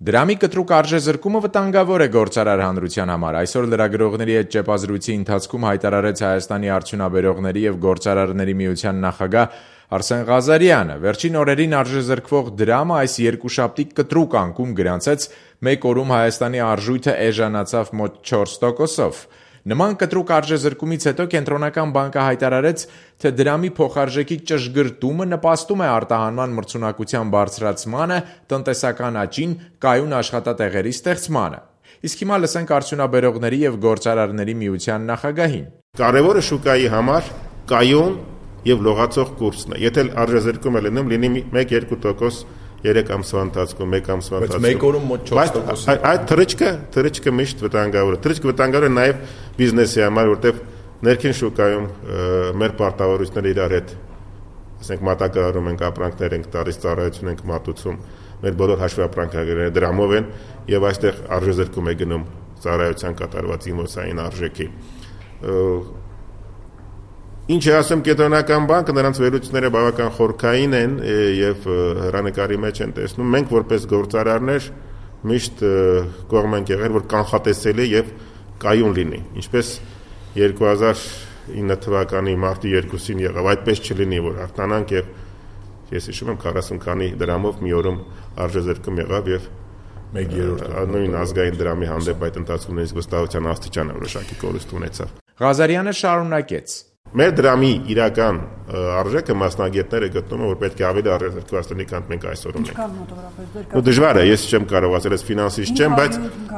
Դրամի կտրուկ արժեզրկումը վտանգավոր է գործարար հանրության համար։ Այսօր լրագրողների հետ ճեպազրույցի ընթացքում հայտարարեց Հայաստանի արդյունաբերողների և գործարարների միության նախագահ Արսեն Ղազարյանը։ Վերջին օրերին արժեզրկվող դրամը այս երկուշաբթի կտրուկ անկում գրանցեց, մեկ օրում Հայաստանի արժույթը էժանացավ մոտ 4%-ով։ Նման կտրուկ արժեզրկումից հետո Կենտրոնական բանկը հայտարարեց, թե դրամի փոխարժեքի ճշգրտումը նպաստում է արտահանման մրցունակության բարձրացմանը, տնտեսական աճին, կայուն աշխատատեղերի ստեղծմանը։ Իսկ հիմա լսենք արդյունաբերողների և գործարարների միության նախագահին։ Կարևորը շուկայի համար կայուն և լողացող կուրսն է։ Եթե արժեզրկումը լինի 1-2% 3 ամսվա ընթացքում, 1 ամսվա ընթացքում։ Բայց մեկ օրում մոտ 4%։ Այդ թռիչքը միշտ վտանգավոր է։ Թռիչքը վտանգավոր է նաև բիզնեսի համար, որտեղ ներքին շուկայում մեր պարտավորությունները իրար հետ, ասենք մատակարարում ենք, ապրանքներ ենք տալիս, ծառայություն ենք մատուցում, մեր բոլոր հաշվապրանքները դրամով են եւ այստեղ արժեզրկում է գնում ծառայության կատարված իմոցային արժեքի։ Ինչ է ասում Կենտրոնական բանկը, նրանց վերլուծությունները բավական խորքային են եւ հեռանկարի մեջ են տեսնում։ Մենք որպես գործարարներ միշտ կողմ ենք եղել, որ կանխատեսելի եւ կայուն լինի, ինչպես 2009 թվականի մարտի 2-ին եղավ, այդպես չլինի, որ արտանանք եւ ես հիշում եմ 40 քանի դրամով մի օրում արժեզրկում եղավ եւ 1/3 նույն ազգային դրամի հանդեպ այդ ընթացքում նույնիսկ վստահության աստիճանը որոշակի կորուստ ունեցավ։ Ղազարյանը շարունակեց. Մեր դրամի իրական արժեքը մասնագետները գտնում են, որ պետք է ավելի արժեզրկված լինի, քան մենք այսօր ունենք։ Դժվար է, ես չեմ կարող ասել, ես ֆինանսիստ չեմ, բայց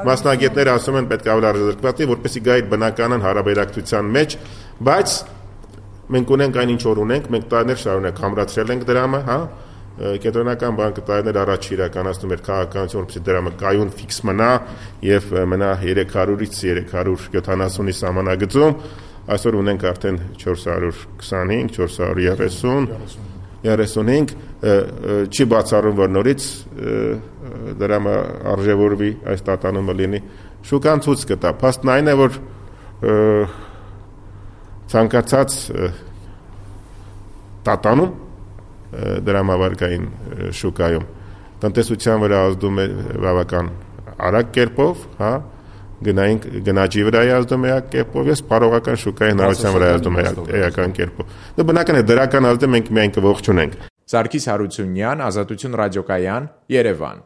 մասնագետները ասում են պետք է ավելի արժեզրկված լինի, որպեսզի գա իր բնականon հարաբերակցության մեջ, բայց մենք ունենք այն ինչ որ ունենք, մենք տարիներ շարունակ համրացրել ենք դրամը, հա։ Կենտրոնական բանկը տարիներ առաջ իրականացնում էր քաղաքականություն, որպեսզի դրամը կայուն ֆիքս մնա եւ մնա 300-ից 370-ի սահմանագծում։ Այսօր ունենք արդեն 425, 435, չի բացառում, որ նորից դրամը արժևորվի, այս տատանումը լինի։ Շուկան ցույց կտա։ Փաստն այն է, որ ցանկացած տատանում դրամավարկային շուկայում տնտեսության վրա ազդում է բավական արագ կերպով, հա, գնաճի վրա ազդում է կերպով, ես սպառողական շուկայի հնարավորության վրա ազդում է էական կերպով։ Դա բնական է, դրական ազդը մենք միայն կողջունենք։ Սարգիս Հարությունյան, Ազատություն ռադիոկայան, Երևան։